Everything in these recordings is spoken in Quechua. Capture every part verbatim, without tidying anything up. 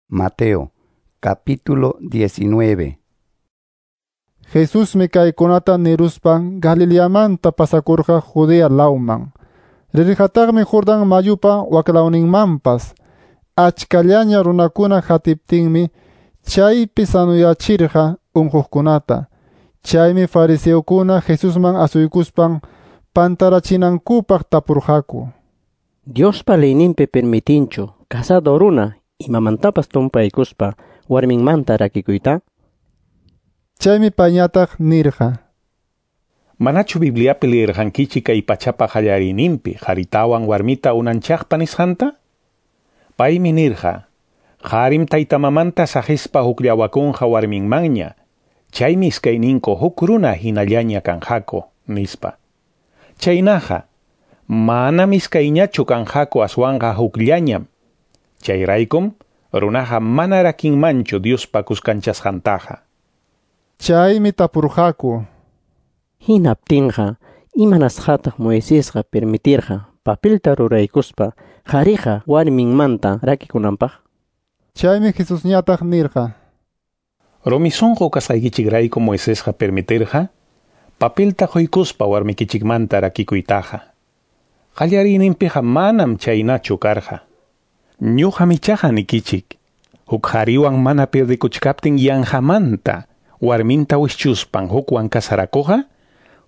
Mateo, capítulo diecinueve. Jesusmi kaykunata niruspan Galileamanta pasakurqa Judea lawman. Rirqataqmi Jordán mayupa waklawninmanpas. Achkallaña runakuna hatiptinmi chaypi sanuyachirqa unquqkunata. Chaymi fariseokuna Jesusman asuykuspan pantarachinankupaq tapurqaku. Diospa leyninpi permitinchu casado runa imamantapas tumpaykuspa warminmanta rakikuyta? Chaymi payñataq nirqa: Manachu Bibliapi leerqankichik kay pachapa qallariyninpi qharitawan warmita unanchaqpa nisqanta? Paymi nirqa: Qarim taytamamanta saqispa hukllawakunqa warminmanña, chaymi iskayninku huk runa hinallaña kanqaku, nispa. Chaynaqa, manam iskayñachu kanqaku aswanqa hukllañam. Chayraykum runaqa mana rakinmanchu Diospa kuskanchasqantaqa. Chaymi tapurqaku: Hinaptinqa, imanasqataq Moisesqa permitirqa papelta ruraykuspa qhariqa warminmanta rakikunanpaq? Chaymi Jesusñataq nirqa: Rumi sunqu kasqaykichikrayku Moisesqa permitirqa papelta quykuspa warmikichikmanta rakikuytaqa. Qallariyninpiqa manam chaynachu karqa. Ñuqam ichaqa nikichik, huk qhariwan mana pirdikuchkaptin yanqamanta warminta wischuspan hukwan kasarakuqqa,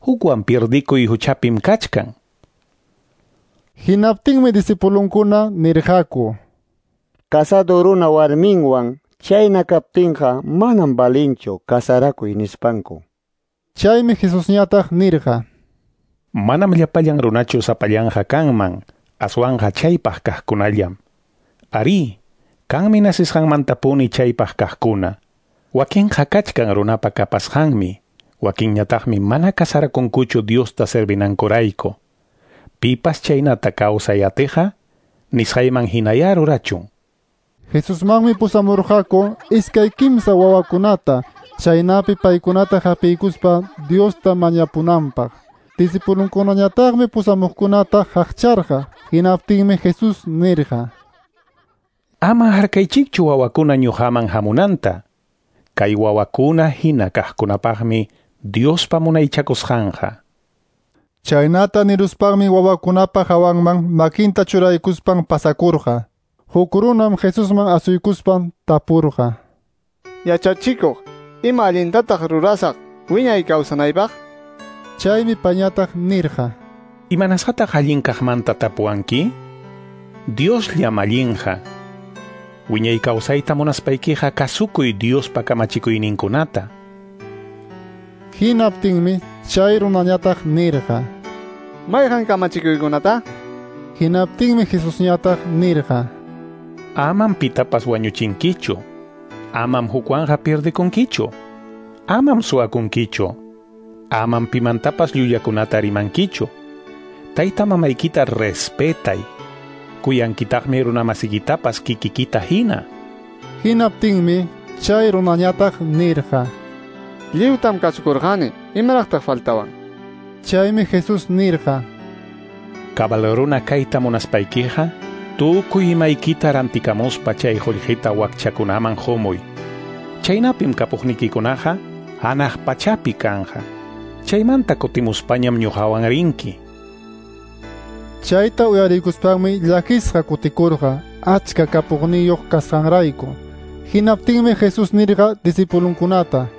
hukwan pirdikuy huchapim kachkan. Hinaptinmi discipulunkuna nirqaku: Casado runa warminwan chayna kaptinqa manam valinchu kasarakuy nispanku. Chaymi Jesusñataq nirqa: Manam llapallan runachu sapallanqa kanman, aswanqa chaypaq kaqkunallam. Arí, kanmi nasisqanmantapuni chaypaq kaqkuna. Wakinqa kachkan runapa kapasqanmi, wakinñataqmi mana kasarakunkuchu Diosta servinankurayku. Pipas chaynata kawsay atiqa, nisqayman hinaya rurachun. Jesusmanmi pusamurqaku iskay kimsa wawakunata, chaynapi paykunata hapiykuspa Diosta mañapunanpaq. Discipulunkunañataqmi pusamuqkunata haqcharqa. Hinaptinmi Jesús nirqa: Ama harkaychikchu wawakuna ñuqaman hamunanta. Kay wawakuna hina kaqkunapaqmi Diospa munaychakusqanqa. Chaynata niruspanmi wawakunapa hawanman makinta churaykuspan pasakurqa. Huk runam Jesusman asuykuspan tapurqa: Yachachikuq, ima allintataq rurasaq wiñay kawsanaypaq? Chaymi payñataq nirqa: Imanasqataq allin kaqmanta tapuwanki? Diosllam allinqa. Wiñay kawsayta munaspaykiqa kasukuy Diospa kamachikuyninkunata. Hinaptinmi chay runañataq nirqa: Mayqan kamachikuykunata? Hinaptinmi Jesusñataq nirqa: Amam pitapas wañuchinkichu. Amam hukwanqa pirdikunkichu. Amam suwakunkichu. Amam pimantapas llullakunata rimankichu. Tayta mamaykita respetay. Kuyankitaqmi runamasikitapas kikikita hina. Hinaptinmi chay runañataq nirqa: Lliwtam kasukurqani, imaraqtaq faltawan? Chaymi Jesús nirqa: Cabal runa kayta munaspaykiqa, tukuy imaykita rantikamuspa chay qullqita wakchakunaman qumuy. Chaynapim kapuqnikikunaqa hanaq pachapi kanqa. Chaymanta kutimuspañam ñuqawan rinki. Chayta uyarikuspanmi llakisqa kutikurqa achka kapuqniyuq kasqanrayku. Hinaptinmi Jesús nirqa discipulunkunata: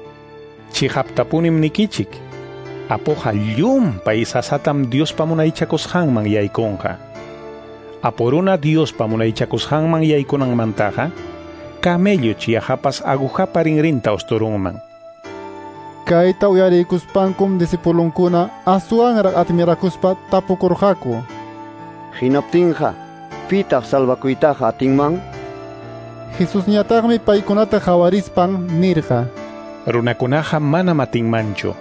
Chiqaptapunim nikichik, apuqa llumpay sasatam Diospa munaychakusqanman yaykunqa. Apu runa Diospa munaychakusqanman yaykunanmantaqa, camello chiyahapas agujapa rinrinta usturunman. Kayta uyarikuspankum discipulunkuna aswanraq admirakuspa tapukurqaku: Hinaptinqa, pitaq salvakuytaqa atinman? Jesusñataqmi paykunata qawarispan nirqa: Runakunaqa manam atinmanchu.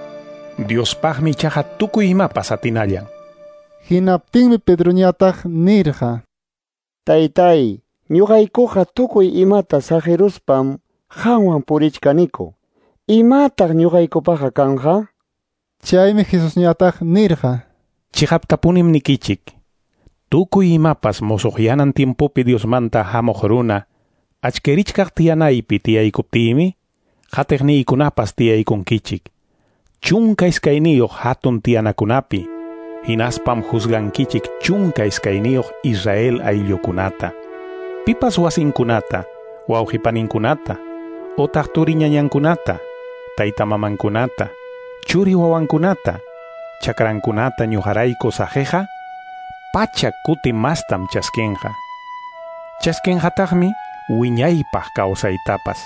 Diospaqmi ichaqa tukuy imapas atinallan. Hinaptinmi Pedroñataq nirqa: Taytay, ñuqaykuqa tukuy imata saqiruspam qanwan purichkaniku. Imataq ñuqaykupaqa kanqa? Chaymi Jesusñataq nirqa: Chiqaptapunim nikichik, tukuy imapas musuqyanan tiempopi Diosmanta hamuq runa Achkirichkaq tiyanaypi tiyaykuptiymi, qatiqniykunapas tiyaykunkichik. Chunka iskayniyuq hatun tiyanakunapi, hinaspam juzgankichik chunka iskayniyuq Israel ayllukunata. Pipas wasinkunata, wawqipaninkunata, otaq turiñañankunata, taytamamankunata, churi wawankunata, chakrankunata ñuqarayku saqiqa, pachak kuti mastam chaskinqa. Chaskinqataqmi wiñaypaq kawsaytapas.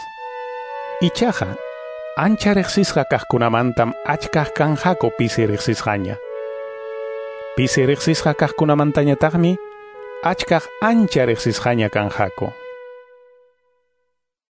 Ichaqa, ancha riqsisqa kaqkunamantam achkaq kanqaku pisi riqsisqaña. Pisi riqsisqa kaqkunamantañataqmi achkaq ancha riqsisqaña kanqaku.